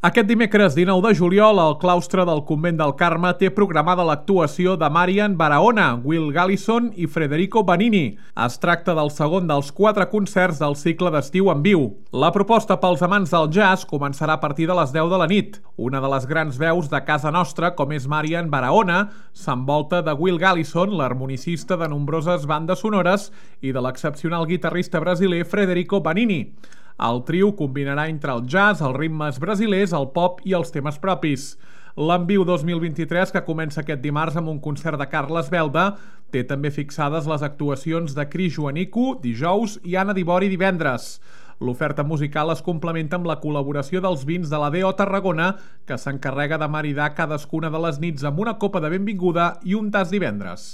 Aquest dimecres 19 de juliol, el claustre del Convent del Carme té programada l'actuació de Marian Barahona, Will Galison i Federico Benigni. Es tracta del segon dels 4 concerts del cicle d'estiu en viu. La proposta pels amants del jazz començarà a partir de les 10 de la nit. Una de les grans veus de casa nostra, com és Marian Barahona, s'envolta de Will Galison, l'harmonicista de nombroses bandes sonores, i de l'excepcional guitarrista brasiler Federico Benigni. El trio combinarà entre el jazz, els ritmes brasilers, el pop i els temes propis. L'Enviu 2023, que comença aquest dimarts amb un concert de Carles Belda, té també fixades les actuacions de Cris Joanico dijous i Anna Dibori divendres. L'oferta musical es complementa amb la col·laboració dels vins de la D.O. Tarragona, que s'encarrega de maridar cadascuna de les nits amb una copa de benvinguda i un tas divendres.